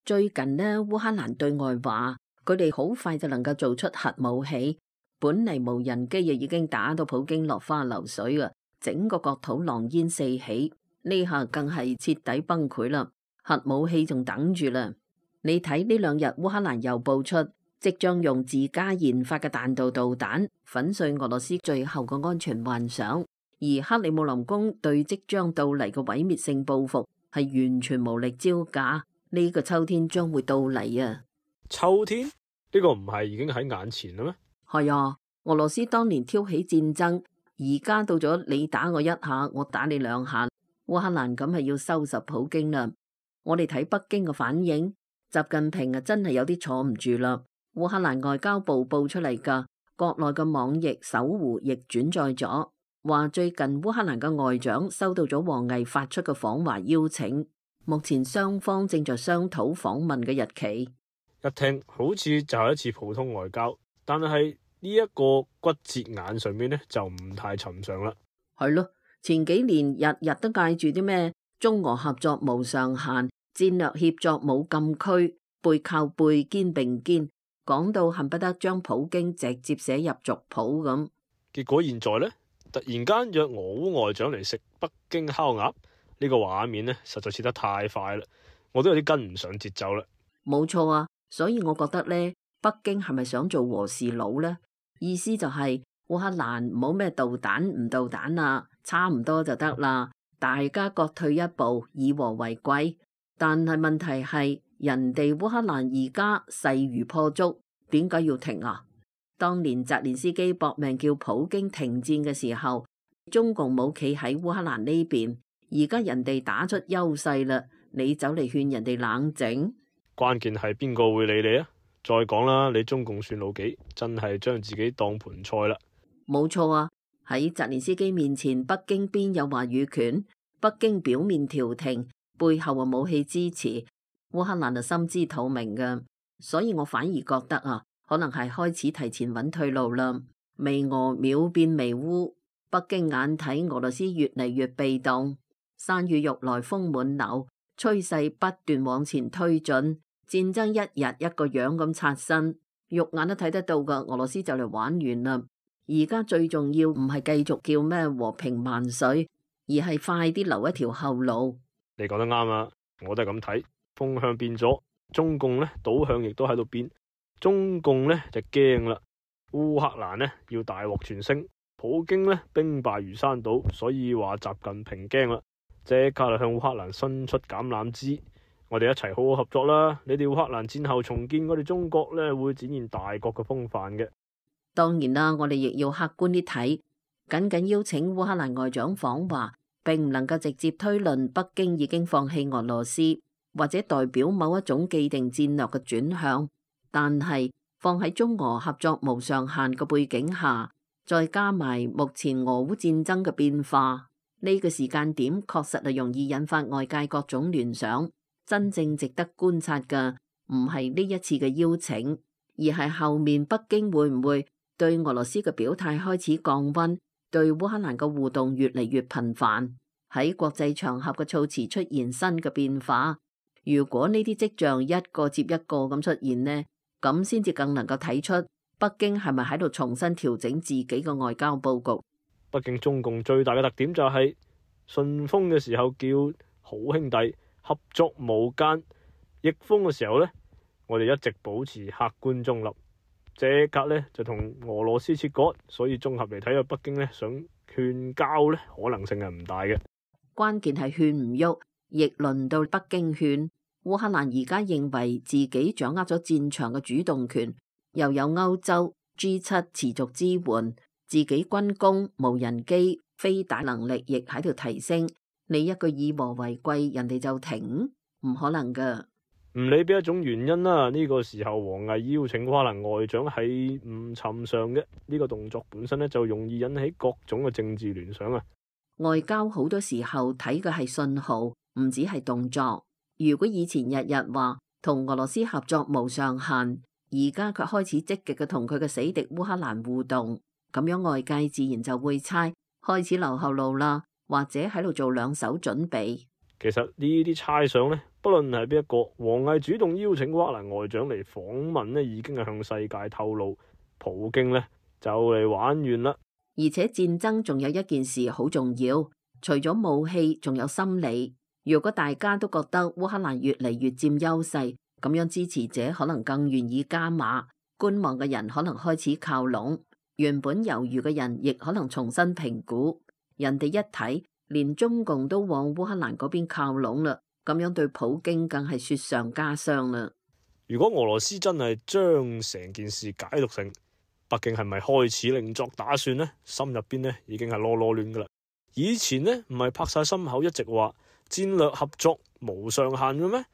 最近呢，烏克蘭對外話佢哋好快就能夠做出核武器，本嚟無人機亦已經打到普京落花流水啊，整個國土狼煙四起，呢下更係徹底崩潰啦，核武器仲等住啦。你睇呢兩日烏克蘭又報出，即將用自家研發嘅彈道導彈粉碎俄羅斯最後嘅安全幻想，而克里姆林宮對即將到嚟嘅毀滅性報復係完全無力招架。呢個秋天將會到嚟啊！秋天呢個唔係已經喺眼前啦咩？係啊，俄羅斯當年挑起戰爭，而家到咗你打我一下，我打你兩下，烏克蘭咁係要收拾普京啦。我哋睇北京嘅反應，習近平啊真係有啲坐唔住啦。烏克蘭外交部報出嚟噶，國內嘅網易搜狐亦轉載咗，話最近烏克蘭嘅外長收到咗王毅發出嘅訪華邀請。目前雙方正在商討訪問嘅日期。一聽好似就係一次普通外交，但係呢一個骨折眼上面呢，就唔太尋常啦。係咯，前幾年日日都嗌住啲咩中俄合作無上限、戰略協作冇禁區、背靠背肩並肩，講到恨不得將普京直接寫入族譜咁。結果現在呢，突然間約俄烏外長嚟食北京烤鴨。呢個畫面呢，實在切得太快啦，我都有啲跟唔上節奏啦。冇錯啊，所以我覺得呢，北京係咪想做和事佬呢？意思就係烏克蘭唔好咩導彈唔導彈啊，差唔多就得啦，大家各退一步，以和為貴。但係問題係，人哋烏克蘭而家勢如破竹，點解要停啊？當年澤連斯基搏命叫普京停戰嘅時候，中共冇企喺烏克蘭呢邊。而家人哋打出優勢啦，你走嚟勸人哋冷靜，關鍵係邊個會理你啊？再講啦，你中共算老幾，真係將自己當盤菜啦。冇錯啊，喺澤連斯基面前，北京邊有話語權？北京表面調停，背後啊武器支持，烏克蘭就心知肚明噶。所以我反而覺得啊，可能係開始提前揾退路啦。微俄秒變微烏，北京眼睇俄羅斯越嚟越被動。山雨欲來風滿樓，趨勢不斷往前推進，戰爭一日一個樣咁刷新，肉眼都睇得到噶。俄羅斯就嚟玩完啦，而家最重要唔係繼續叫咩和平萬歲，而係快啲留一條後路。你講得啱啊，我都係咁睇，風向變咗，中共呢倒向亦都喺度變，中共呢就驚啦，烏克蘭呢要大獲全勝，普京呢兵敗如山倒，所以話習近平驚啦。即刻就向烏克蘭伸出橄欖枝，我哋一齊好好合作啦！你哋烏克蘭戰後重建，我哋中國呢會展現大國嘅風範嘅。當然啦，我哋亦要客觀啲睇，僅僅邀請烏克蘭外長訪華，並唔能夠直接推論北京已經放棄俄羅斯，或者代表某一種既定戰略嘅轉向。但係放喺中俄合作無上限嘅背景下，再加埋目前俄烏戰爭嘅變化。呢個時間點確實係容易引發外界各種聯想，真正值得觀察嘅唔係呢一次嘅邀請，而係後面北京會唔會對俄羅斯嘅表態開始降溫，對烏克蘭嘅互動越嚟越頻繁，喺國際場合嘅措辭出現新嘅變化。如果呢啲跡象一個接一個咁出現呢，咁先至更能夠睇出北京係咪喺度重新調整自己嘅外交佈局。畢竟中共最大嘅特點就係順風嘅時候叫好兄弟合作無間，逆風嘅時候呢，我哋一直保持客觀中立，即刻呢就同俄羅斯切割。所以綜合嚟睇，北京呢想勸交呢可能性係唔大嘅。關鍵係勸唔喐，亦輪到北京勸。烏克蘭而家認為自己掌握咗戰場嘅主動權，又有歐洲 G7 持續支援。自己軍工、無人機、飛彈能力亦喺度提升，你一個以和為貴，人哋就停？唔可能噶。唔理邊一種原因啦，呢個時候王毅邀請烏克蘭外長係唔尋常嘅，呢個動作本身呢，就容易引起各種嘅政治聯想啊。外交好多時候睇嘅係信號，唔止係動作。如果以前日日話同俄羅斯合作無上限，而家卻開始積極嘅同佢嘅死敵烏克蘭互動。咁樣外界自然就會猜開始留後路啦，或者喺度做兩手準備。其實呢啲猜想呢，不論係邊一個，王毅主動邀請烏克蘭外長嚟訪問呢，已經係向世界透露，普京呢就嚟玩完啦。而且戰爭仲有一件事好重要，除咗武器，仲有心理。如果大家都覺得烏克蘭越嚟越佔優勢，咁樣支持者可能更願意加碼，觀望嘅人可能開始靠攏，原本猶豫嘅人亦可能重新評估。人哋一睇，連中共都往烏克蘭嗰邊靠攏啦，咁樣對普京更係雪上加霜啦。如果俄羅斯真係將成件事解讀成北京係咪開始另作打算呢？心入邊呢已經係囉囉攣噶啦。以前呢唔係拍晒心口一直話戰略合作無上限嘅咩？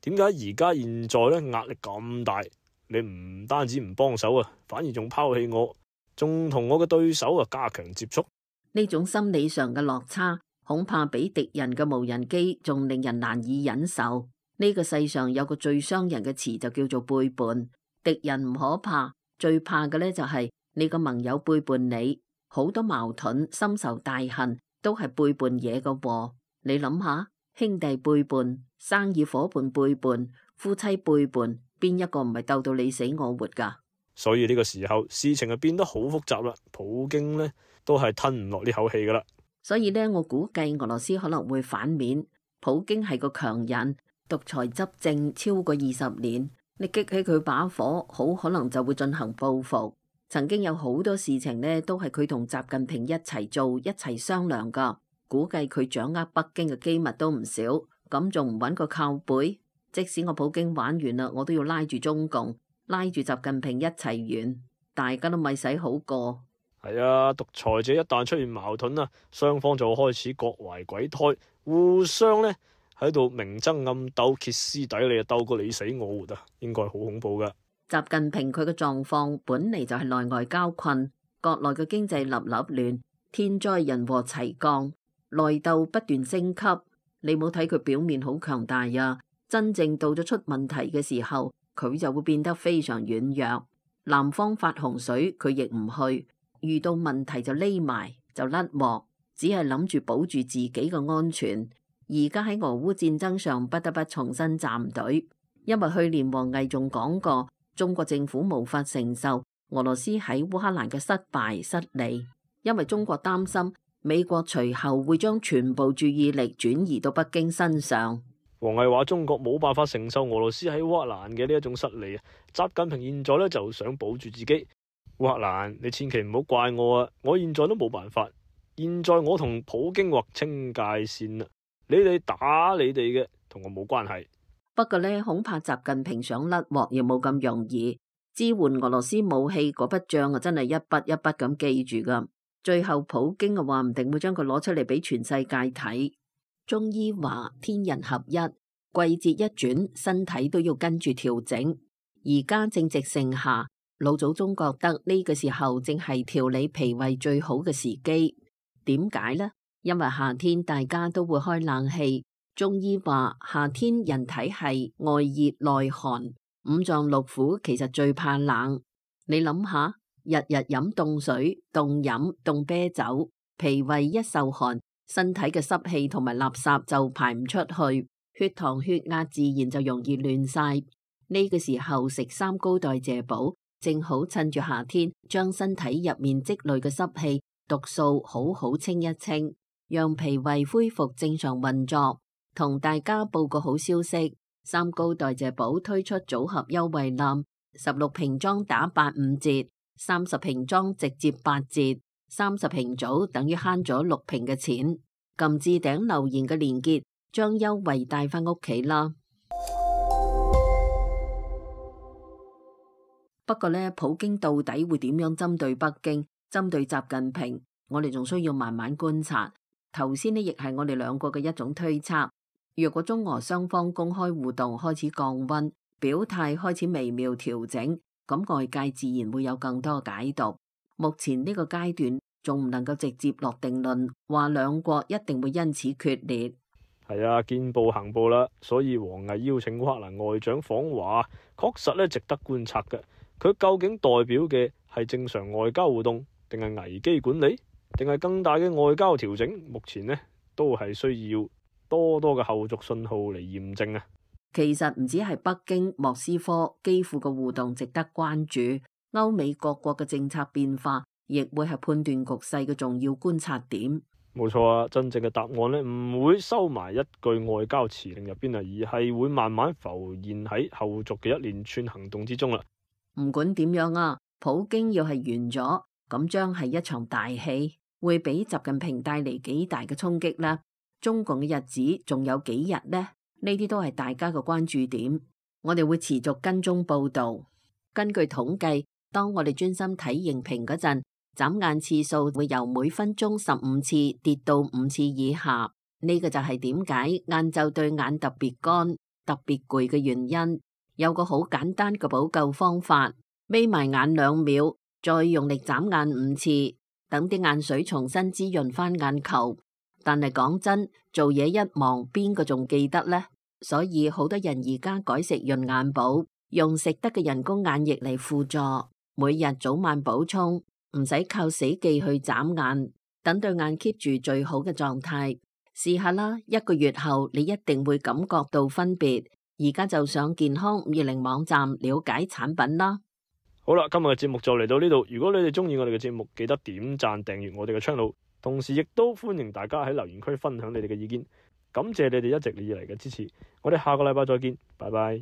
點解而家現在呢壓力咁大？你唔單止唔幫手啊，反而仲拋棄我，仲同我嘅對手啊加強接觸。呢種心理上嘅落差，恐怕比敵人嘅無人機仲令人難以忍受。呢個世上有個最傷人嘅詞就叫做背叛。敵人唔可怕，最怕嘅呢就係你個盟友背叛你。好多矛盾、深仇大恨都係背叛嘢嘅禍。你諗下，兄弟背叛、生意伙伴背叛、夫妻背叛，邊一個唔係鬥到你死我活噶？所以呢個時候事情就變得好複雜啦。普京呢都係吞唔落呢口氣噶啦。所以呢，我估計俄羅斯可能會反面。普京係個強人，獨裁執政超過20年，你激起佢把火，好可能就會進行報復。曾經有好多事情呢，都係佢同習近平一齊做、一齊商量噶。估計佢掌握北京嘅機密都唔少，咁仲唔揾個靠背？即使我普京玩完啦，我都要拉住中共，拉住習近平一齊完，大家都咪使好過。係啊，獨裁者一旦出現矛盾啊，雙方就開始各懷鬼胎，互相呢喺度明爭暗鬥、歇斯底里啊，鬥過你死我活啊，應該好恐怖噶。習近平佢嘅狀況本嚟就係內外交困，國內嘅經濟立立亂，天災人禍齊降，內鬥不斷升級。你冇睇佢表面好強大啊，真正到咗出問題嘅時候，佢就會變得非常軟弱。南方發洪水，佢亦唔去，遇到問題就匿埋就甩鑊，只係諗住保住自己嘅安全。而家喺俄烏戰爭上不得不重新站隊，因為去年王毅仲講過，中國政府無法承受俄羅斯喺烏克蘭嘅失敗失利，因為中國擔心美國隨後會將全部注意力轉移到北京身上。王毅話中國冇辦法承受俄羅斯喺烏克蘭嘅呢一種失利啊！習近平現在呢就想保住自己。烏克蘭，你千祈唔好怪我啊！我現在都冇辦法。現在我同普京劃清界線啦，你哋打你哋嘅，同我冇關係。不過呢，恐怕習近平想甩鑊亦冇咁容易。支援俄羅斯武器嗰筆賬啊，真係一筆一筆咁記住噶。最後普京啊話唔定會將佢攞出嚟俾全世界睇。中醫話天人合一，季節一轉，身體都要跟住調整。而家正值盛夏，老祖宗覺得呢個時候正係調理脾胃最好嘅時機。點解呢？因為夏天大家都會開冷氣。中醫話夏天人體係外熱內寒，五臟六腑其實最怕冷。你諗下，日日飲凍水、凍飲、凍啤酒，脾胃一受寒，身體嘅濕氣同埋垃圾就排唔出去，血糖血壓自然就容易亂晒。呢個時候食三高代謝寶，正好趁住夏天將身體入面積累嘅濕氣毒素好好清一清，讓脾胃恢復正常運作。同大家報個好消息，三高代謝寶推出組合優惠冧，16瓶裝打85折，30瓶裝直接8折，30瓶組等於慳咗6瓶嘅錢。撳置頂留言嘅連結，將優惠帶返屋企啦。不過呢，普京到底會點樣針對北京、針對習近平，我哋仲需要慢慢觀察。頭先呢，亦係我哋兩個嘅一種推測。若果中俄雙方公開互動開始降溫，表態開始微妙調整，咁外界自然會有更多解讀。目前呢個階段仲唔能夠直接落定論，話兩國一定會因此決裂。係啊，見步行步啦，所以王毅邀請烏克蘭外長訪華，確實咧值得觀察嘅。佢究竟代表嘅係正常外交互動，定係危機管理，定係更大嘅外交調整？目前呢都係需要多多嘅後續信號嚟驗證啊！其實唔止係北京、莫斯科、基輔嘅互動值得關注，歐美各國嘅政策變化亦會係判斷局勢嘅重要觀察點。冇錯啊，真正嘅答案呢唔會收埋一句外交辭令入邊啊，而係會慢慢浮現喺後續嘅一連串行動之中啦。唔管點樣啊，普京要係完咗，咁將係一場大戲，會俾習近平帶嚟幾大嘅衝擊呢？中共嘅日子仲有幾日呢？呢啲都係大家嘅關注點，我哋會持續跟蹤報導。根據統計，當我哋專心睇熒屏嗰陣，眨眼次數會由每分鐘15次跌到5次以下。呢個就係點解晏晝對眼特別乾、特別攰嘅原因。有個好簡單嘅補救方法，眯埋眼2秒，再用力眨眼5次，等啲眼水重新滋潤翻眼球。但係講真，做嘢一忙，邊個仲記得呢？所以好多人而家改食潤眼寶，用食得嘅人工眼液嚟輔助，每日早晚補充，唔使靠死記去眨眼，等對眼 keep 住最好嘅狀態。試下啦，1個月後你一定會感覺到分別。而家就上健康520網站了解產品啦。好啦，今日嘅節目就嚟到呢度。如果你哋中意我哋嘅節目，記得點讚訂閱我哋嘅 channel。同時亦都歡迎大家喺留言區分享你哋嘅意見，感謝你哋一直以嚟嘅支持，我哋下個禮拜再見，拜拜。